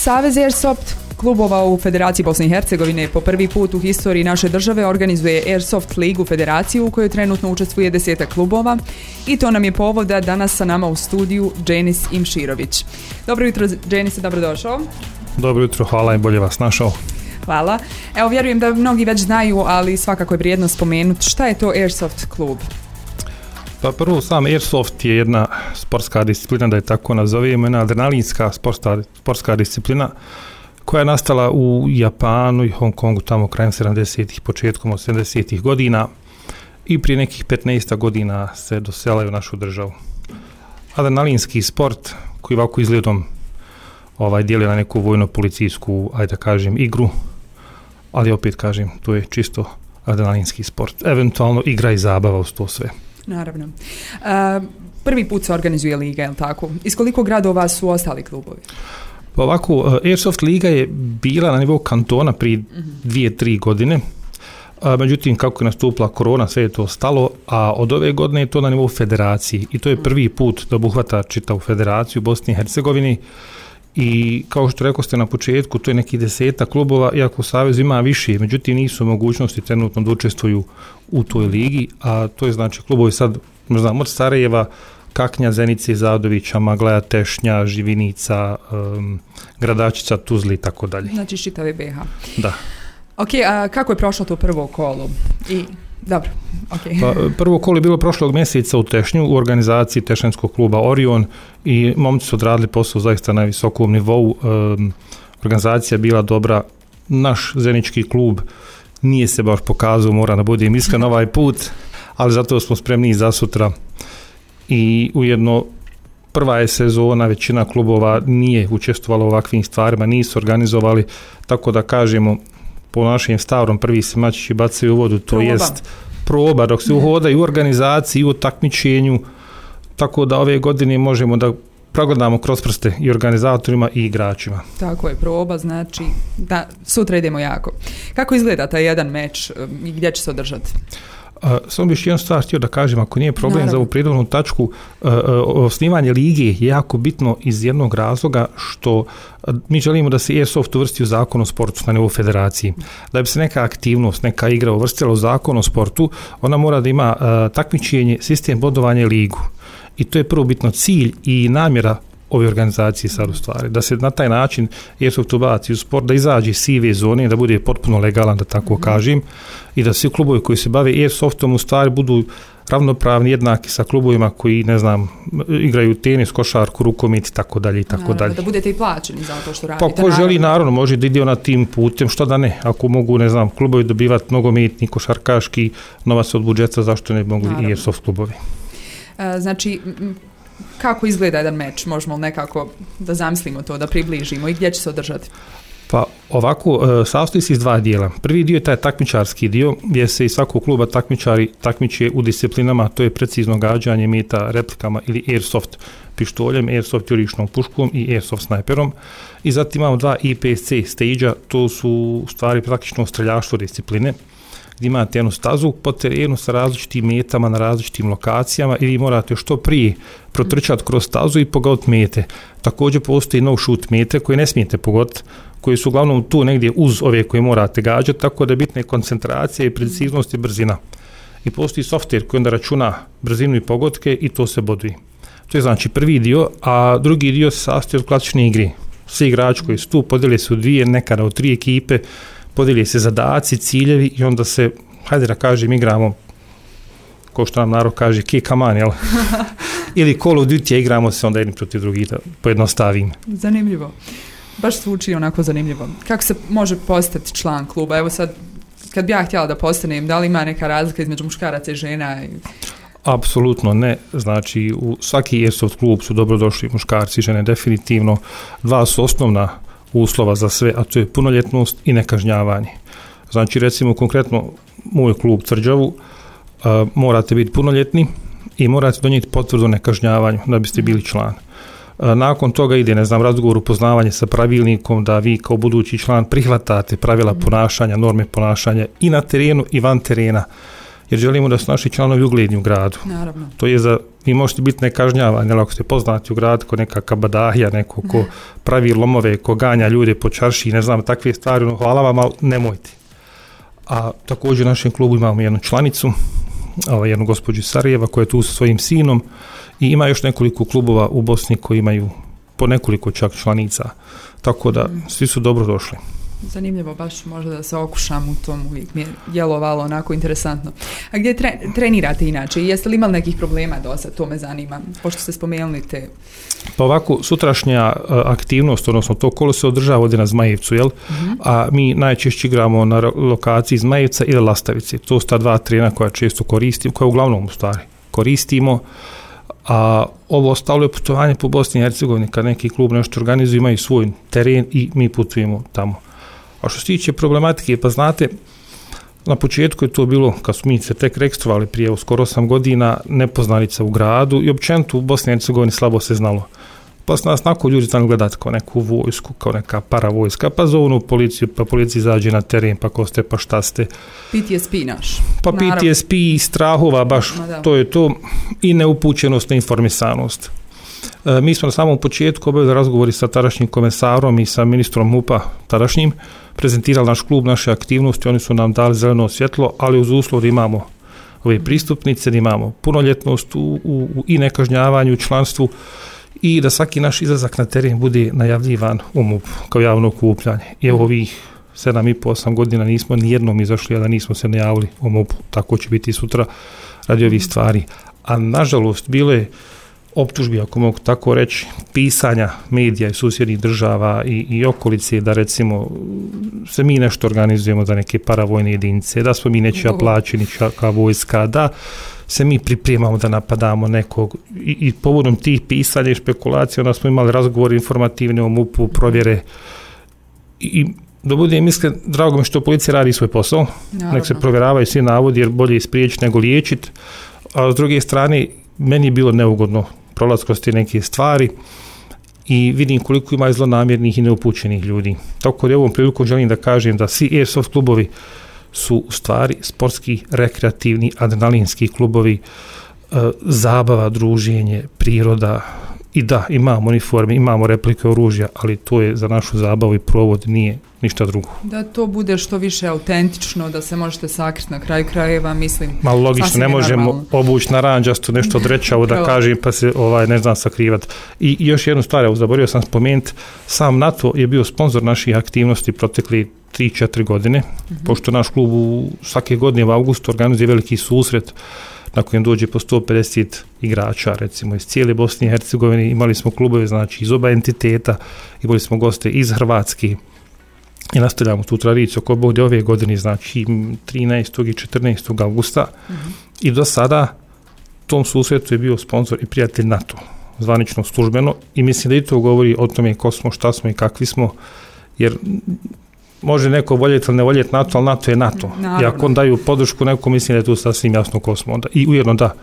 Savez Airsoft klubova u Federaciji Bosne i Hercegovine po prvi put u historiji naše države organizuje Airsoft ligu federaciju u kojoj trenutno učestvuje 10 klubova i to nam je povod da danas sa nama u studiju Dženis Imširović. Dobro jutro, Dženis, dobrodošao. Dobro jutro, hvala i bolje vas našao. Hvala. Evo, vjerujem da mnogi već znaju, ali svakako je vrijedno spomenuti. Šta je to Airsoft klub? Pa prvo, sam Airsoft je jedna sportska disciplina, da je tako nazovemo, jedna adrenalinska sportska disciplina koja je nastala u Japanu i Hong Kongu tamo krajem 70-ih, početkom 80-ih godina i prije nekih 15 godina se doselaju u našu državu. Adrenalinski sport koji ovako izgledom dijeli na neku vojno-policijsku, ajde da kažem, igru, ali opet kažem, to je čisto adrenalinski sport. Eventualno igra i zabava uz to sve. Naravno. Prvi put se organizuje liga, je li tako? Iz koliko gradova su ostali klubovi? Pa ovako, Airsoft liga je bila na nivou kantona prije 2-3 godine. Međutim, kako je nastupila korona, sve je to stalo, a od ove godine je to na nivou federacije. I to je prvi put da obuhvata čitavu federaciju u Bosni i Hercegovini. I kao što rekao ste na početku, to je nekih 10 klubova, iako u Savezu ima više, međutim nisu mogućnosti trenutno da učestvuju u toj ligi, a to je znači klubovi sad, znam, od Sarajeva, Kaknja, Zenice, Zadovića, Maglaja, Tešnja, Živinica, Gradačica, Tuzli i tako dalje. Znači čitave BiH. Da. Ok, a kako je prošlo to prvo kolo? Dobro, okay. Pa, prvo kolo je bilo prošlog mjeseca u Tešnju u organizaciji Tešanskog kluba Orion i momci su odradili posao zaista na visokom nivou. Organizacija je bila dobra. Naš zenički klub nije se baš pokazao, moram da budem iskren ovaj put, ali zato smo spremni za sutra. I ujedno prva je sezona, većina klubova nije učestvovala u ovakvim stvarima, nisu organizovali, tako da kažemo po našem starom prvi se mačići bacaju u vodu, to jest proba dok se uhodaju u organizaciji i u takmičenju, tako da ove godine možemo da progledamo kroz prste i organizatorima i igračima. Tako je, proba, znači da sutra idemo jako. Kako izgleda taj jedan meč i gdje će se održati? Samo bih jednu stvar htio da kažem, ako nije problem za ovu prijedlovnu tačku, osnivanje lige je jako bitno iz jednog razloga što mi želimo da se Airsoft uvrsti u zakon o sportu na nivou federacije. Da bi se neka aktivnost, neka igra uvrstila u zakon o sportu, ona mora da ima takmičenje, sistem bodovanja i ligu. I to je prvo bitno cilj i namjera ove organizacije sad u stvari, da se na taj način Airsoft ubaci u sport, da izađe iz sive zone, da bude potpuno legalan, da tako kažem, i da svi klubovi koji se bave Airsoftom u stvari budu ravnopravni, jednaki sa klubovima koji, ne znam, igraju tenis, košarku, rukomet i tako dalje i tako dalje. Da budete i plaćeni za to što radite. Pa ko želi, naravno, može da ide na tim putem, što da ne, ako mogu, ne znam, klubovi dobivati nogometni, košarkaški novac od budžeta, zašto ne mogu i Airsoft klubovi? Znači, kako izgleda jedan meč? Možemo nekako da zamislimo to, da približimo i gdje će se održati? Pa ovako, sastoji se iz dva dijela. Prvi dio je taj takmičarski dio gdje se iz svakog kluba takmičari takmiče u disciplinama, to je precizno gađanje meta replikama ili Airsoft pištoljem, Airsoft jurišnom puškom i Airsoft snajperom. I zatim imamo dva IPSC stage-a, to su u stvari praktično streljaštvo discipline, gdje imate jednu stazu po terenu sa različitim metama na različitim lokacijama i vi morate što prije protrčati kroz stazu i pogoditi mete. Također postoji no shoot mete koje ne smijete pogoditi, koje su uglavnom tu negdje uz ove koje morate gađati, tako da je bitna koncentracija i preciznost i brzina. I postoji software koji onda računa brzinu i pogodke i to se boduje. To je znači prvi dio, a drugi dio se sastoji od klasične igre. Svi igrači koji su tu podijele se u dvije, nekada u 3 ekipe, podijeli se zadaci, ciljevi i onda se, hajde da kažem, igramo, ko što nam narod kaže, kick a man, jel? Ili Call of Duty, igramo se onda jedni protiv drugih, da pojednostavim. Zanimljivo. Baš zvuči onako zanimljivo. Kako se može postati član kluba? Evo sad, kad bi ja htjela da postanem, da li ima neka razlika između muškaraca i žena? Apsolutno ne. Znači, u svaki Airsoft klub su dobrodošli muškarci i žene, definitivno. Dva su osnovna uslova za sve, a to je punoljetnost i nekažnjavanje. Znači, recimo, konkretno, moj klub Tvrđavu, morate biti punoljetni i morate donijeti potvrdu o nekažnjavanju da biste bili član. Nakon toga ide, ne znam, razgovor, upoznavanje sa pravilnikom da vi kao budući član prihvatate pravila ponašanja, norme ponašanja i na terenu i van terena. jer želimo da su naši članovi ugledni u gradu. Naravno. To je vi možete biti nekažnjavani, ali ako ste poznati u gradu ko neka kabadahija, neko ko pravi lomove, ko ganja ljude po čarši, ne znam, takve stvari, hvala vam, ali nemojte. A također u našem klubu imamo jednu članicu, jednu gospođu Sarajeva koja je tu sa svojim sinom i ima još nekoliko klubova u Bosni koji imaju po nekoliko čak članica, tako da svi su dobro došli. Zanimljivo, baš možda da se okušam u tom, uvijek mi je djelovalo onako interesantno. A gdje trenirate inače i jeste li imali nekih problema do sad, to me zanima, pošto ste spomenuli te... Pa ovako, sutrašnja aktivnost, odnosno to kolo se održava ovdje na Zmajevcu, jel? A mi najčešće igramo na lokaciji Zmajevca ili Lastavice. To su ta dva terena koja često koristimo, koja uglavnom u stvari koristimo, a ovo ostalo je putovanje po Bosni i Hercegovini, kad neki klub nešto organizuje, imaju svoj teren i mi putujemo tamo. A što se tiče problematike, pa znate, na početku je to bilo, kad smo mi se tek registrovali prije skoro 8 godina, nepoznanica u gradu i općenito u Bosni i Hercegovini slabo se znalo. Pa su nas nakon ljudi znali gledati kao neku vojsku, kao neka paravojska, pa zovnu policiju, pa policija izađe na teren, pa ko ste, pa šta ste. PTSP naš. Pa PTSP i strahova, baš to je to, i neupućenost, neinformisanost. Mi smo na samom početku obavili razgovori sa tadašnjim komesarom i sa ministrom MUP-a tadašnjim, prezentirali naš klub, naše aktivnosti, oni su nam dali zeleno svjetlo, ali uz uslov da imamo ove pristupnice, da imamo punoljetnost i nekažnjavanju, članstvu i da svaki naš izlazak na teren bude najavljivan u MUP kao javno okupljanje. I ovih 7,5-8 godina nismo nijednom izašli, a da nismo se najavili u MUP-u. Tako će biti sutra radi ovih stvari. A nažalost bilo je optužbi, ako mogu tako reći, pisanja medija i susjednih država i okolice da recimo se mi nešto organizujemo za neke paravojne jedinice, da smo mi nečija plaćeni čaka vojska, da se mi pripremamo da napadamo nekog i povodom tih pisanja i špekulacija onda smo imali razgovor informativne o MUP-u, provjere i da budem iskren, drago mi što policija radi svoj posao, nek se provjeravaju svi navodi jer bolje spriječiti nego liječiti, a s druge strane meni je bilo neugodno prolaz kroz te neke stvari i vidim koliko ima zlonamjernih i neupućenih ljudi. Tako da ovom prilikom želim da kažem da svi Airsoft klubovi su u stvari sportski, rekreativni, adrenalinski klubovi, zabava, druženje, priroda i da, imamo uniforme, imamo replike oružja, ali to je za našu zabavu i provod, nije ništa drugo. Da to bude što više autentično, da se možete sakriti na kraju krajeva, mislim. Malo logično, ne možemo obući naranđasto nešto odrećavo da kažem pa se ne znam sakrivati. I još jednu stvar, zaboravio sam spomenuti, sam NATO je bio sponzor naših aktivnosti protekli 3-4 godine, pošto naš klub svake godine u augustu organizuje veliki susret na kojem dođe po 150 igrača, recimo iz cijele Bosne i Hercegovine. Imali smo klubove, znači iz oba entiteta, imali smo goste iz Hrvatske i nastavljamo tu tradiciju oko bude ove godine, znači 13. i 14. augusta i do sada tom susretu je bio sponsor i prijatelj NATO, zvanično službeno i mislim da i to govori o tome ko smo, šta smo i kakvi smo, jer može neko voljeti ili ne voljeti NATO, ali NATO je NATO. I ako on daju podršku neko, mislim da je tu sasvim jasno ko smo onda. I ujedno da,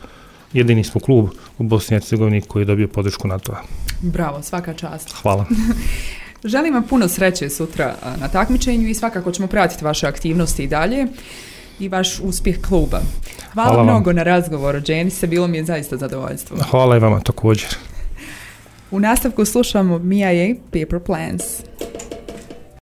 jedini smo klub u Bosni i Hercegovini koji je dobio podršku NATO-a. Bravo, svaka čast. Hvala. Želim vam puno sreće sutra na takmičenju i svakako ćemo pratiti vaše aktivnosti i dalje i vaš uspjeh kluba. Hvala mnogo na razgovoru, Dženise, bilo mi je zaista zadovoljstvo. Hvala i vama također. U nastavku slušamo Mia Paper Plans.